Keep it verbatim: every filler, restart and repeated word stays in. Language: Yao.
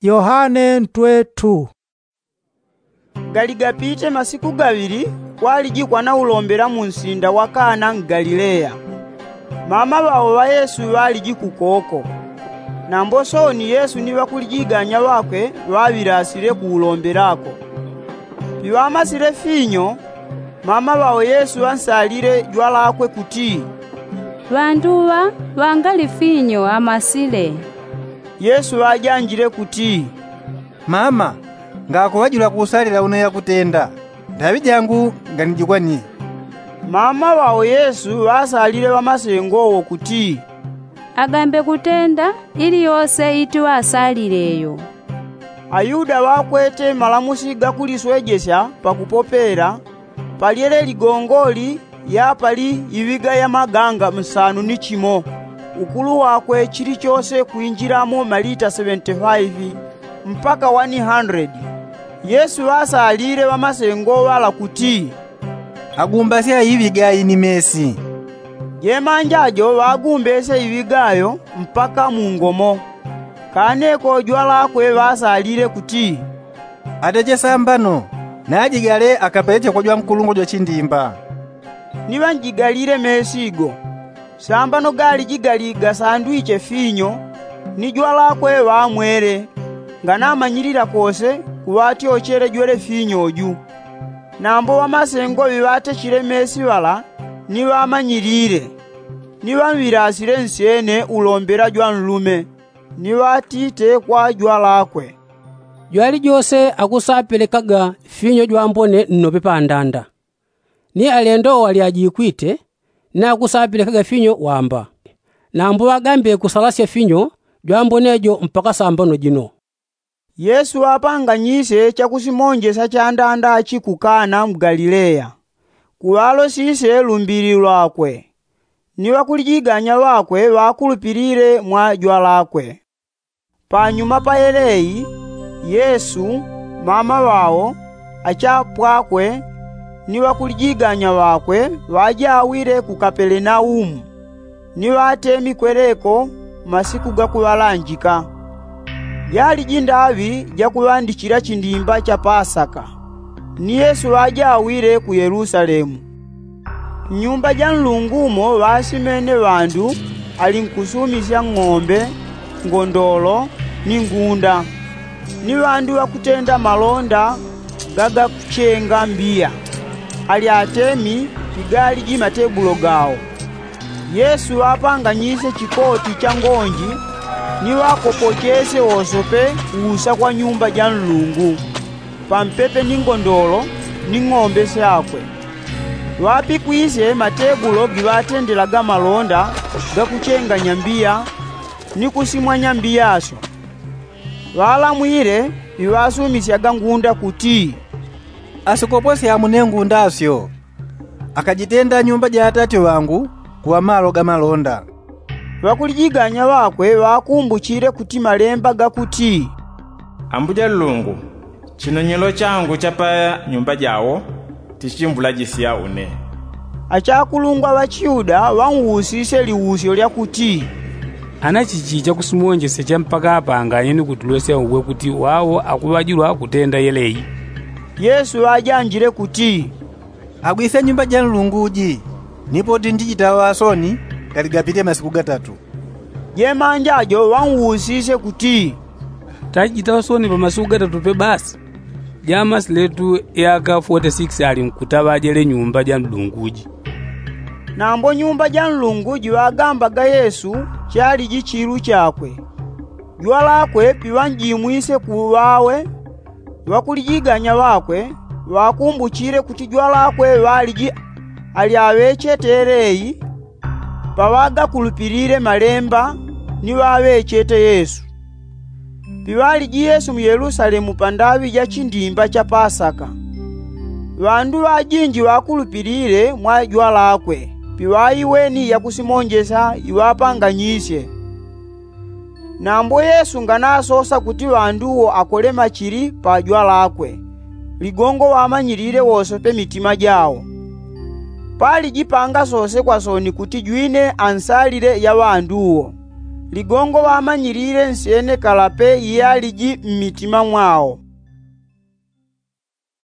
Yohane ntwe tu. Galigapite masiku gaŵili, kwaliji kwanaulombela munsinda wa kana mgalileya. Mama ŵao ŵa yesu ŵaliji kukoko. Nambo sooni yesu ni ŵakulijiganya ŵakwe ŵaŵilasile kuulombelako. Piŵamasile finyo, mama ŵao yesu ŵansalile jwalakwe kuti, ŵandu ŵa ŵangali finyo amasile. Yesu ŵajanjile kuti, mama, ngakuŵajula kuusalila une yakutenda, ndaŵi jangu nganijikwanie. Mama ŵao yesu ŵasalile ŵamasengo wo kuti, agambe kutenda ili yose itiŵasalile yo. Ayuda ŵakwete malamusi gakuliswejesya pakupopela, palyele ligongoli yapali iŵiga ya maganga msanu ni chimo, ukulu wakwe chilichose kwinjilamo malita seŵentifaivi mpaka wani handredi. Yesu ŵasalile ŵamasengo ŵala kuti, agumbasye aiŵiga ayi ni mesi. Jemanja jo ŵagumbesye iŵiga ayo mpaka mungomo. Kaneko jwalakwe ŵasalile kuti, ateche sambano, najigale akapeleche kwa jwankulungwa jwa chindimba. Ni ŵanjigalile mesi go. Sambano galiji gali gasandwiche finyo, ni jwalakwe ŵamwele, nganamanyilila kose kuŵatyochele jwele finyo ju. Nambo ŵamasengo ŵiŵatechile mesi ŵala ni ŵamanyilile, ni ŵamwilasile nsyene ulombela jwanlume, ni ŵatite kwa jwalakwe, jwalijose akusapelekaga finyo jwambone nnope pandanda. Ni alendo wo alyajikwite, ni akusapelekaga finyo wamba. Nambo ŵagambe kusalasya finyo jwambone jo mpaka sambano jino. Yesu ŵapanganyisye chakusimonjesya chandanda chi ku kana mu galileya. Kuŵalosisye lumbili lwakwe. Ni ŵakulijiganya ŵakwe ŵakulupilile mwa jwalakwe. Panyuma pa yeleyi, yesu, mama ŵao, achapwakwe, ni ŵakulijiganya ŵakwe ŵajawile ku kapelenaumu, ni ŵatemi kweleko masiku gakuŵalanjika. Jaliji ndaŵi jakuŵandichila chindimba cha pasaka. Ni yesu ŵajawile ku yelusalemu. Mnyumba ja nlungu mo ŵasimene ŵandu, alinkusumisya ng'ombe, ngondolo, ni ngunda. Ni ŵandu ŵakutenda malonda gagakuchenga mbiya. Ali atemi pigaliji matebulo gao. Yesu ŵapanganyisye chikoti cha ngonji, ni ŵakopochesye wosope usa kwa nyumba ja nlungu, pampepe ni ngondolo ni ng'ombe syakwe. Ŵapikwisye matebulo giŵatendelaga malonda gakuchenganya mbiya, ni kusimwanya mbiyasyo. Ŵalamwile piŵasumisyaga ngunda kuti, asikoposye amune ngunda syo, akajitenda nyumba ja atati ŵangu kuŵa malo ga malonda. Ŵakulijiganya ŵakwe ŵakumbuchile kuti malemba gakuti, ambuja nlungu, chinonyelo changu cha pa nyumba jao tichimbulajisya une. Achakulungwa ŵachiyuda ŵanwusisye liusyo lyakuti, ana chichi chakusimonjesya cha mpaka apanganye ni kutulwesya uwe kuti wao akuŵajilwa kutenda yeleyi? Yesu ŵajanjile kuti, agwise nyumba ja nlungu ji, ni poti ndijitaŵa soni, galigapite masiku gatatu. Jemanja jo ŵanwusisye kuti, tajitaŵa soni pa masiku gatatu pe basi? Jamasiletu yaka foti sikisi alinkutaŵa jele nyumba ja nlungu ji. Nambo nyumba ja nlungu ji ŵagambaga yesu, chaliji chilu chakwe. Jwalakwe piŵanjimwise ku ŵawe, ŵakulijiganya ŵakwe ŵakumbuchile kuti jwalakwe ŵaliji ali aŵechete yeleyi, paŵagakulupilile malemba ni ŵaŵechete yesu. Piŵaliji yesu mu yelusalemu pa ndaŵi ja chindimba cha pasaka. Ŵandu ŵajinji ŵakulupilile mwa jwalakwe piŵaiweni yakusimonjesya iŵapanganyisye. Nambo yesu nganasosa kuti ŵandu wo akole machili pa jwalakwe, ligongo ŵamanyilile wosope mitima jao. Paliji pangasosekwa soni kuti jwine ansalile ya ŵandu wo. Ligongo ŵamanyilile nsyene kalape iyaliji mmitima mwao.